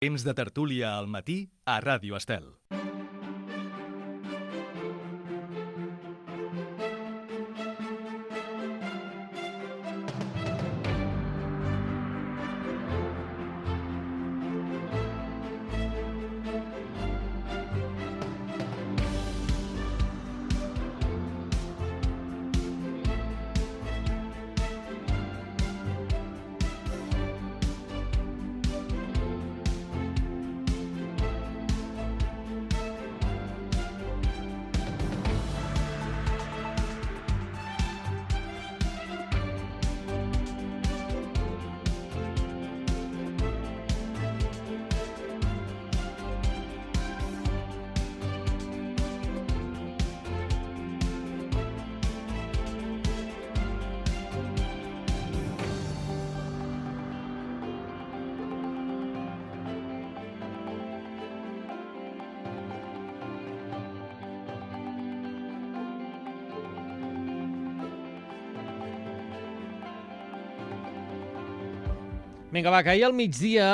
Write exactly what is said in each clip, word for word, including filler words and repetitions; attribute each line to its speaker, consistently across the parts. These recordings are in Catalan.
Speaker 1: Temps de tertúlia al matí a Ràdio Estel.
Speaker 2: Vinga, va, que ahir al migdia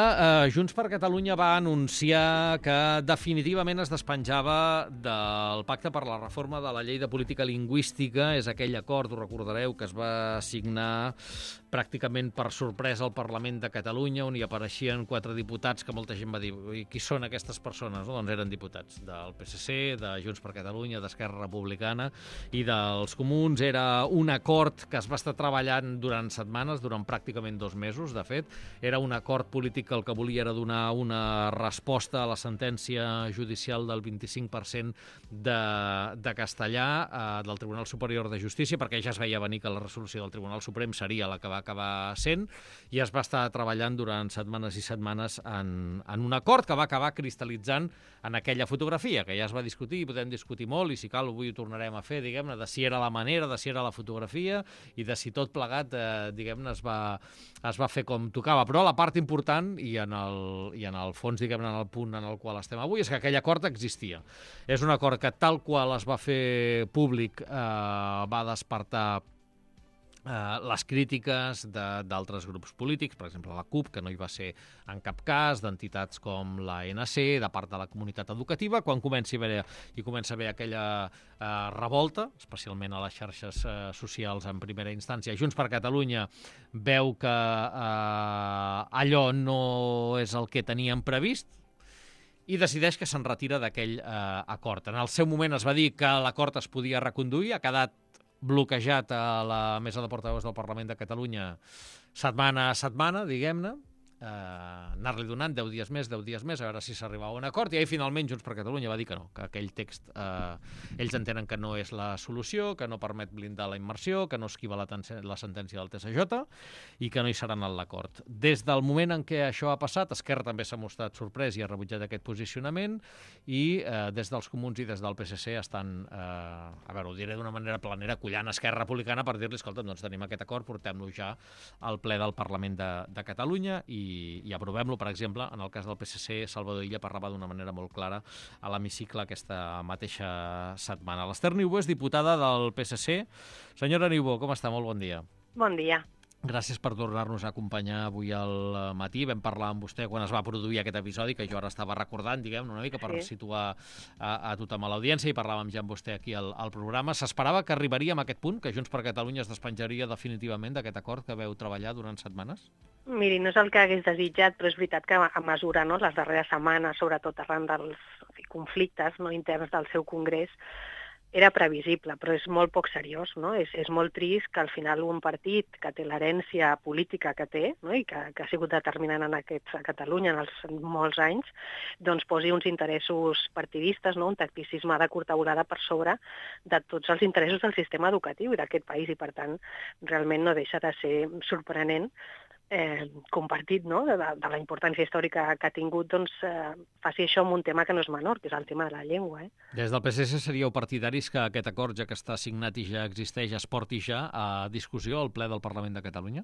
Speaker 2: eh, Junts per Catalunya va anunciar que definitivament es despenjava del Pacte per la Reforma de la Llei de Política Lingüística. És aquell acord, ho recordareu, que es va signar pràcticament per sorpresa al Parlament de Catalunya, on hi apareixien quatre diputats que molta gent va dir qui són aquestes persones? No? Doncs eren diputats del P S C, de Junts per Catalunya, d'Esquerra Republicana i dels Comuns. Era un acord que es va estar treballant durant setmanes, durant pràcticament dos mesos, de fet. Era un acord polític que el que volia era donar una resposta a la sentència judicial del vint-i-cinc per cent de, de castellà eh, del Tribunal Superior de Justícia, perquè ja es veia venir que la resolució del Tribunal Suprem seria la que va acabar sent, i es va estar treballant durant setmanes i setmanes en, en un acord que va acabar cristal·litzant en aquella fotografia, que ja es va discutir, i podem discutir molt, i si cal avui ho tornarem a fer, diguem-ne, de si era la manera, de si era la fotografia, i de si tot plegat, eh, diguem-ne, es va, es va fer com tocava. Però la part important, i en el, i en el fons, diguem-ne, en el punt en el qual estem avui, és que aquell acord existia. És un acord que, tal qual es va fer públic, eh, va despertar Uh, les crítiques d'altres grups polítics, per exemple la CUP, que no hi va ser en cap cas, d'entitats com l'A N C, de part de la comunitat educativa, quan comenci a haver, i comença a haver aquella uh, revolta, especialment a les xarxes uh, socials en primera instància. Junts per Catalunya veu que uh, allò no és el que teníem previst, i decideix que se'n retira d'aquell uh, acord. En el seu moment es va dir que l'acord es podia reconduir, ha quedat bloquejat a la mesa de portaveus del Parlament de Catalunya setmana a setmana, diguem-ne, eh, anar-li donant deu dies més, deu dies més, a veure si s'arribava a un acord, i ahir finalment Junts per Catalunya va dir que no, que aquell text eh, ells entenen que no és la solució, que no permet blindar la immersió, que no esquiva la, la sentència del T S J i que no hi seran en l'acord. Des del moment en què això ha passat, Esquerra també s'ha mostrat sorprès i ha rebutjat aquest posicionament, i eh, des dels Comuns i des del P S C estan, eh, a veure, ho diré d'una manera planera, collant Esquerra Republicana per dir-li, escolta, doncs tenim aquest acord, portem-lo ja al ple del Parlament de, de Catalunya i i, i aprovem-lo. Per exemple, en el cas del P S C, Salvador Illa parlava d'una manera molt clara a l'hemicicle aquesta mateixa setmana. L'Ester Niubó és diputada del P S C. Senyora Niubó, com està? Molt bon dia.
Speaker 3: Bon dia.
Speaker 2: Gràcies per tornar-nos a acompanyar avui al matí. Vam parlar amb vostè quan es va produir aquest episodi, que jo ara estava recordant, diguem, una mica per sí. situar a, a tothom a l'audiència, i parlàvem ja amb vostè aquí al, al programa. S'esperava que arribaríem a aquest punt, que Junts per Catalunya es despenjaria definitivament d'aquest acord que veu treballar durant setmanes?
Speaker 3: Miri, no és el que hagués desitjat, però és veritat que a mesura, no, les darreres setmanes, sobretot arran dels conflictes no, interns del seu congrés, era previsible, però és molt poc seriós, no? És, és molt trist que al final un partit que té l'herència política que té, no? I que, que ha sigut determinant en aquest, a Catalunya en els molts anys, doncs posi uns interessos partidistes, no? Un tacticisme de curta volada per sobre de tots els interessos del sistema educatiu i d'aquest país, i per tant realment no deixa de ser sorprenent Eh, compartit, no? de, de la importància històrica que ha tingut, doncs eh, faci això amb un tema que no és menor, que és el tema de la llengua. Eh?
Speaker 2: Des del P S C seríeu partidaris que aquest acord, ja que està signat i ja existeix, es porti ja a discussió al ple del Parlament de Catalunya?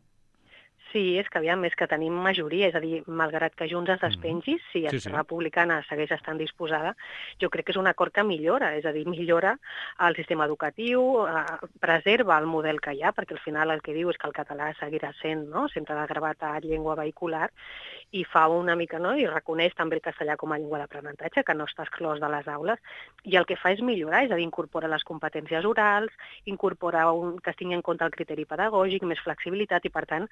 Speaker 3: Sí, és que aviam, és que tenim majoria, és a dir, malgrat que Junts es despengi, mm. si
Speaker 2: Sí,
Speaker 3: Esquerra
Speaker 2: sí.
Speaker 3: Republicana segueix estant disposada, jo crec que és un acord que millora, és a dir, millora el sistema educatiu, eh, preserva el model que hi ha, perquè al final el que diu és que el català seguirà sent, no?, sempre de gravetat, llengua vehicular, i fa una mica, no?, i reconeix també el castellà com a llengua d'aprenentatge, que no està exclòs de les aules, i el que fa és millorar, és a dir, incorpora les competències orals, incorpora un, que es tingui en compte el criteri pedagògic, més flexibilitat, i per tant,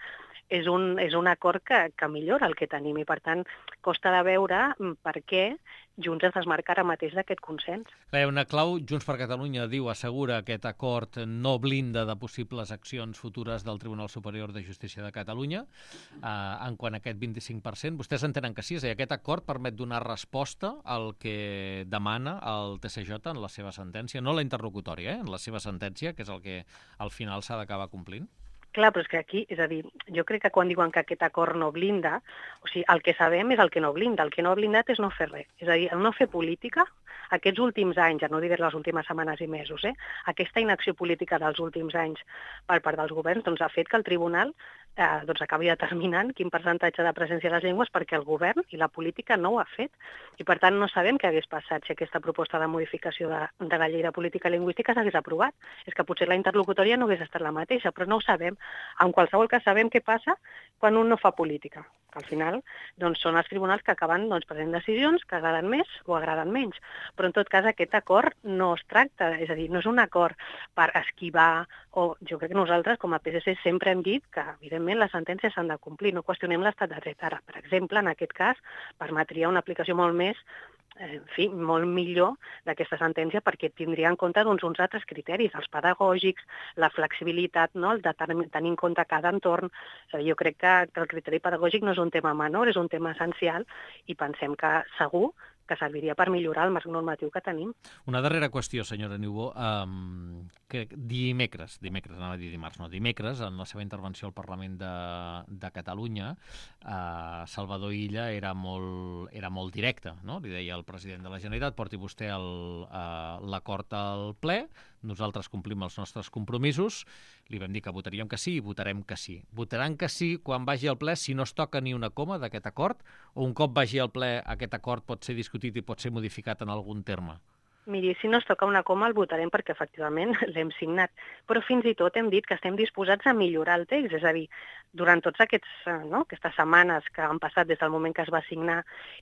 Speaker 3: és un, és un acord que, que millora el que tenim i, per tant, costa de veure per què Junts es desmarca ara mateix d'aquest consens.
Speaker 2: Clar, una clau, Junts per Catalunya diu, assegura aquest acord no blinda de possibles accions futures del Tribunal Superior de Justícia de Catalunya eh, en quant a aquest vint-i-cinc per cent. Vostès entenen que sí, és a dir, aquest acord permet donar resposta al que demana el T S J en la seva sentència, no la interlocutòria, eh, en la seva sentència, que és el que al final s'ha d'acabar complint.
Speaker 3: Clar, però és que aquí, és a dir, jo crec que quan diuen que aquest acord no blinda, o sigui, el que sabem és el que no blinda, el que no ha blindat és no fer res. És a dir, el no fer política, aquests últims anys, ja no diré les últimes setmanes i mesos, eh, aquesta inacció política dels últims anys per part dels governs doncs, ha fet que el tribunal eh, doncs, acabi determinant quin percentatge de presència de les llengües perquè el govern i la política no ho ha fet. I per tant no sabem què hagués passat si aquesta proposta de modificació de, de la llei de política lingüística s'hagués aprovat. És que potser la interlocutòria no hagués estat la mateixa, però no ho sabem. En qualsevol cas sabem què passa quan un no fa política. Al final doncs, són els tribunals que acaben doncs, prenent decisions que agraden més o agraden menys. Però en tot cas aquest acord no es tracta, és a dir, no és un acord per esquivar, o jo crec que nosaltres com a P S C sempre hem dit que evidentment les sentències s'han de complir, no qüestionem l'estat de dret. Ara, per exemple, en aquest cas, permetria una aplicació molt més en fi, molt millor d'aquesta sentència perquè tindria en compte doncs, uns altres criteris, els pedagògics, la flexibilitat, no? El de tenir en compte cada entorn. O sigui, jo crec que, que el criteri pedagògic no és un tema menor, és un tema essencial i pensem que segur que serviria per millorar el marc normatiu que tenim.
Speaker 2: Una darrera qüestió, senyora Niubó. Um, que dimecres, dimecres, anava a dir dimarts, no, dimecres, en la seva intervenció al Parlament de, de Catalunya, uh, Salvador Illa era molt, era molt directe, no? Li deia al president de la Generalitat, porti vostè uh, l'acord al ple, nosaltres complim els nostres compromisos, li vam dir que votaríem que sí i votarem que sí. Votaran que sí quan vagi al ple si no es toca ni una coma d'aquest acord, o un cop vagi al ple aquest acord pot ser discutit i pot ser modificat en algun terme?
Speaker 3: Miri, si no es toca una coma el votarem perquè efectivament l'hem signat, però fins i tot hem dit que estem disposats a millorar el text, és a dir, durant tots aquests, no, aquestes setmanes que han passat des del moment que es va signar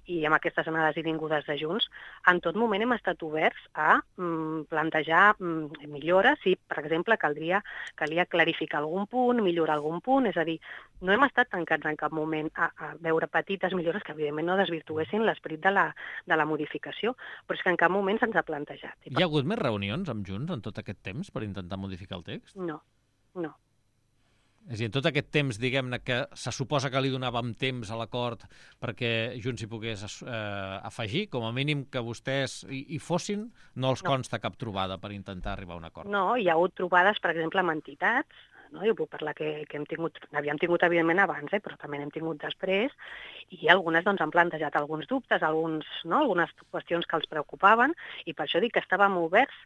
Speaker 3: i amb aquestes anades i vingudes de Junts, en tot moment hem estat oberts a mm, plantejar mm, millores, si, per exemple, caldria, calia clarificar algun punt, millorar algun punt, és a dir, no hem estat tancats en cap moment a, a veure petites millores que evidentment no desvirtuessin l'esperit de, la, de la modificació, però és que en cap moment se'ns ha plantejat.
Speaker 2: Hi ha hagut més reunions amb Junts en tot aquest temps per intentar modificar el text?
Speaker 3: No, no.
Speaker 2: És a dir, en tot aquest temps, diguem-ne, que se suposa que li donàvem temps a l'acord perquè Junts hi pogués eh, afegir, com a mínim que vostès hi, hi fossin, no els no. consta cap trobada per intentar arribar a un acord?
Speaker 3: No, hi ha hagut trobades, per exemple, amb entitats, no? Jo puc parlar que, que hem tingut, havíem tingut evidentment abans, eh, però també n'hem tingut després, i algunes doncs, han plantejat alguns dubtes, alguns, no? algunes qüestions que els preocupaven, i per això dic que estàvem oberts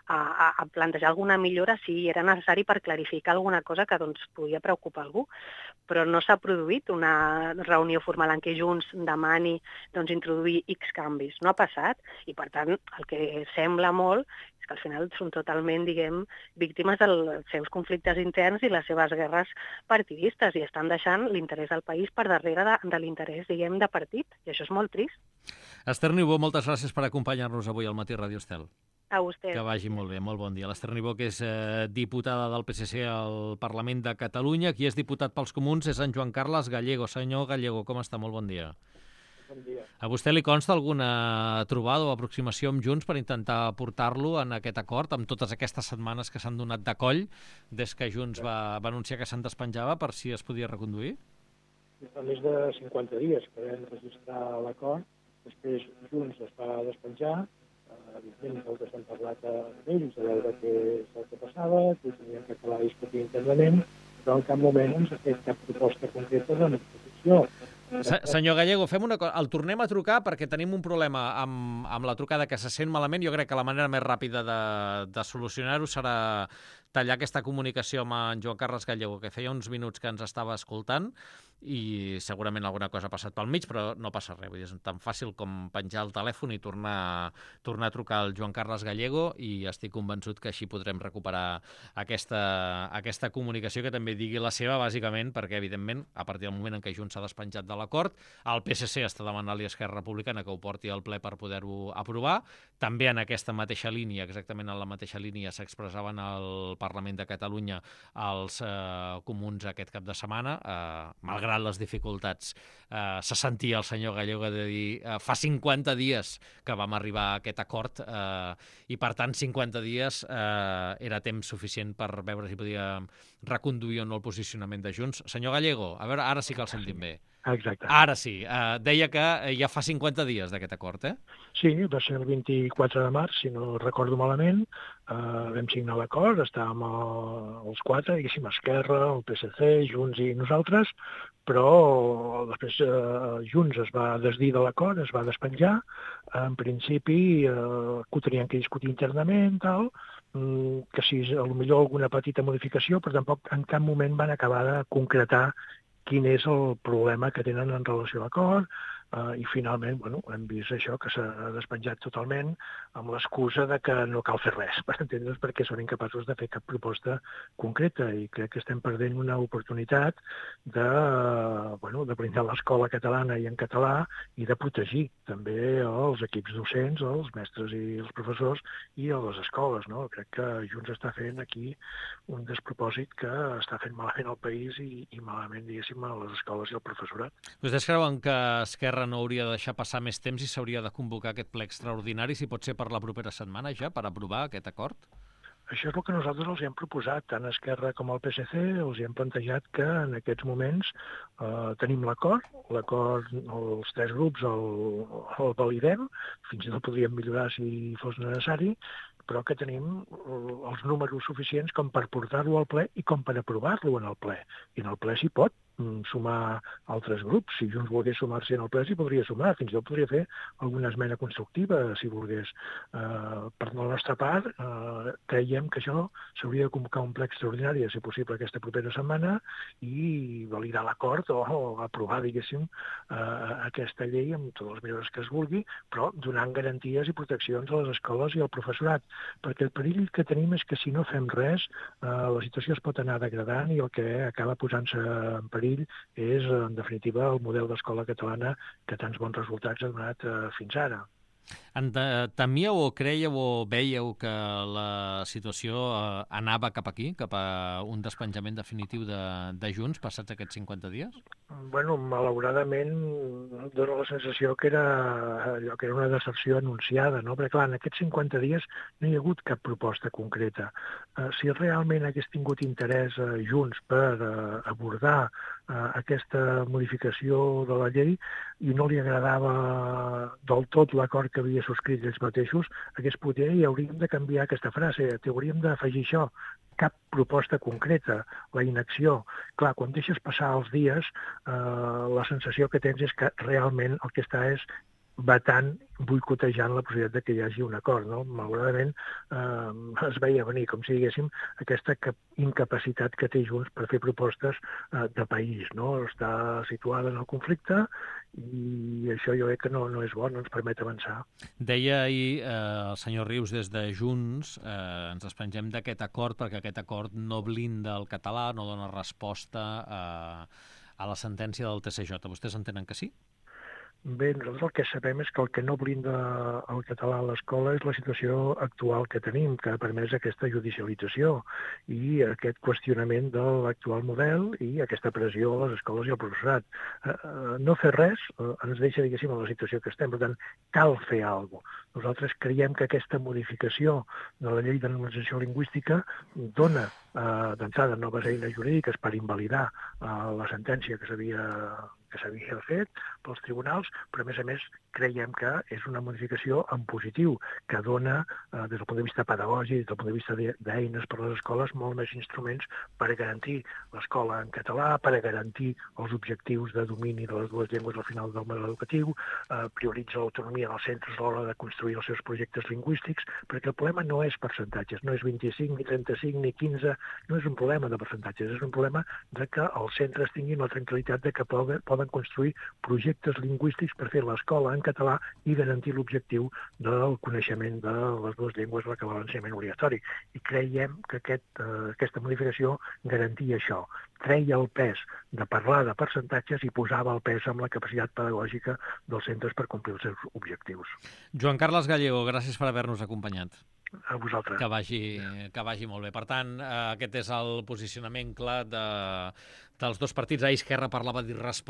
Speaker 3: a, a, a plantejar alguna millora si era necessari per clarificar alguna cosa que doncs, podia preocupar algú. Però no s'ha produït una reunió formal en què Junts demani doncs, introduir X canvis. No ha passat, i per tant el que sembla molt és que al final són totalment, diguem, víctimes dels seus conflictes interns i les seves guerres partidistes i estan deixant l'interès del país per darrere de, de l'interès, diguem, de partit. I això és molt trist.
Speaker 2: Esther Niubó, moltes gràcies per acompanyar-nos avui al Matí Ràdio Estel.
Speaker 3: A vostè.
Speaker 2: Que vagi molt bé, molt bon dia. L'Esther Niubó, que és eh, diputada del P S C al Parlament de Catalunya. Qui és diputat pels Comuns és en Joan Carles Gallego. Senyor Gallego, com està? Molt bon dia.
Speaker 4: Bon dia.
Speaker 2: A vostè li consta alguna trobada o aproximació amb Junts per intentar portar-lo en aquest acord, amb totes aquestes setmanes que s'han donat de coll des que Junts va, va anunciar que se'n despenjava per si es podia reconduir?
Speaker 4: Fa més de cinquanta dies que vam registrar l'acord, després Junts es va despenjar, evidentment nosaltres hem parlat amb ells a veure què és el que passava, que teníem que acabar de discutir internament, però en cap moment ens ha fet cap proposta concreta de modificació.
Speaker 2: Se, senyor Gallego, fem una cosa. El tornem a trucar perquè tenim un problema amb, amb la trucada que se sent malament. Jo crec que la manera més ràpida de, de solucionar-ho serà tallar aquesta comunicació amb en Joan Carles Gallego, que feia uns minuts que ens estava escoltant, i segurament alguna cosa ha passat pel mig, però no passa res. Vull dir, és tan fàcil com penjar el telèfon i tornar, tornar a trucar al Joan Carles Gallego, i estic convençut que així podrem recuperar aquesta, aquesta comunicació, que també digui la seva, bàsicament, perquè, evidentment, a partir del moment en què Junts s'ha despenjat de l'acord, el P S C està demanant-li a Esquerra Republicana que ho porti al ple per poder-ho aprovar. També en aquesta mateixa línia, exactament en la mateixa línia, s'expressaven al Parlament de Catalunya els eh, comuns aquest cap de setmana, eh, malgrat les dificultats. Eh, se sentia el senyor Gallego de dir eh, fa cinquanta dies que vam arribar a aquest acord eh, i, per tant, cinquanta dies eh, era temps suficient per veure si podia reconduir o no el posicionament de Junts. Senyor Gallego, a veure, ara sí que el sentim bé.
Speaker 4: Exacte.
Speaker 2: Ara sí. Uh, deia que ja fa cinquanta dies d'aquest acord, eh?
Speaker 4: Sí, va ser el vint-i-quatre de març, si no recordo malament. Uh, vam signar l'acord, estàvem uh, els quatre, diguéssim, Esquerra, el P S C, Junts i nosaltres, però després uh, Junts es va desdir de l'acord, es va despenjar. En principi, uh, que ho tenien que discutir internament, tal, um, que si potser alguna petita modificació, però tampoc en cap moment van acabar de concretar quin és el problema que tenen en relació a l'acord, eh, i finalment bueno, hem vist això, que s'ha despenjat totalment amb l'excusa de que no cal fer res, per entendre's, perquè són incapaços de fer cap proposta concreta, i crec que estem perdent una oportunitat de, bueno, de blindar l'escola catalana i en català, i de protegir també els equips docents, els mestres i els professors, i a les escoles. No? Crec que Junts està fent aquí un despropòsit que està fent malament al país i, i malament, diguéssim, a les escoles i al professorat.
Speaker 2: Vostès creuen que Esquerra no hauria de deixar passar més temps i s'hauria de convocar aquest ple extraordinari, si pot ser per la propera setmana ja, per aprovar aquest acord?
Speaker 4: Això és el que nosaltres els hem proposat, tant a Esquerra com al P S C, els hem plantejat que en aquests moments eh, tenim l'acord, l'acord, els tres grups el, el validem, fins i tot podríem millorar si fos necessari, però que tenim els números suficients com per portar-lo al ple i com per aprovar-lo en el ple. I en el ple s'hi pot sumar altres grups. Si Junts volgués sumar-se en el ple, s'hi podria sumar. Fins i tot podria fer alguna esmena constructiva, si volgués. Eh, per la nostra part, eh, creiem que això s'hauria de convocar un ple extraordinari, si possible, aquesta propera setmana, i validar l'acord o, o aprovar, diguéssim, eh, aquesta llei amb totes les millores que es vulgui, però donant garanties i proteccions a les escoles i al professorat. Perquè el perill que tenim és que si no fem res, eh, la situació es pot anar degradant, i el que acaba posant-se en perill és, en definitiva, el model d'escola catalana que tants bons resultats ha donat eh, fins ara.
Speaker 2: Temíeu o creieu o veieu que la situació eh, anava cap aquí, cap a un despenjament definitiu de, de Junts passats aquests cinquanta dies?
Speaker 4: Bueno, malauradament dona la sensació que era allò que era una decepció anunciada, no? Perquè, clar, en aquests cinquanta dies no hi ha hagut cap proposta concreta. Eh, si realment hagués tingut interès eh, Junts per eh, abordar eh, aquesta modificació de la llei i no li agradava del tot l'acord que havia subscrit ells mateixos, hagués poder i hauríem de canviar aquesta frase, hauríem d'afegir això, cap proposta concreta, la inacció. Clar, quan deixes passar els dies, eh, la sensació que tens és que realment el que està és vetant, boicotejant la possibilitat que hi hagi un acord. No? Malauradament eh, es veia venir, com si diguéssim, aquesta incapacitat que té Junts per fer propostes eh, de país. No? Està situada en el conflicte i això jo crec que no, no és bo, no ens permet avançar.
Speaker 2: Deia ahir eh, el senyor Rius des de Junts, eh, ens despengem d'aquest acord perquè aquest acord no blinda el català, no dona resposta eh, a la sentència del T C J. Vostès entenen que sí?
Speaker 4: Bé, nosaltres el que sabem és que el que no blinda el català a l'escola és la situació actual que tenim, que ha permès aquesta judicialització i aquest qüestionament de l'actual model i aquesta pressió a les escoles i al professorat. No fer res ens deixa, diguéssim, en la situació que estem. Per tant, cal fer alguna cosa. Nosaltres creiem que aquesta modificació de la llei de normalització lingüística dona eh, d'entrada noves eines jurídiques per invalidar eh, la sentència que s'havia que s'havia fet, pels tribunals, però a més a més creiem que és una modificació en positiu, que dona, eh, des del punt de vista pedagògic, des del punt de vista d'eines per a les escoles, molt més instruments per a garantir l'escola en català, per a garantir els objectius de domini de les dues llengües al final del model educatiu, eh, prioritza l'autonomia dels centres a l'hora de construir els seus projectes lingüístics, perquè el problema no és percentatges, no és vint-i-cinc, ni trenta-cinc, ni quinze, no és un problema de percentatges, és un problema de que els centres tinguin la tranquil·litat de que poden, poden construir projectes lingüístics per fer l'escola en català i garantir l'objectiu del coneixement de les dues llengües a l'acabar l'ensenyament obligatori. I creiem que aquest, eh, aquesta modificació garantia això. Treia el pes de parlar de percentatges i posava el pes amb la capacitat pedagògica dels centres per complir els seus objectius.
Speaker 2: Joan Carles Gallego, gràcies per haver-nos acompanyat.
Speaker 4: A vosaltres.
Speaker 2: Que vagi, que vagi molt bé. Per tant, eh, aquest és el posicionament clar de, dels dos partits. Ahir Esquerra parlava d'irresponsabilitat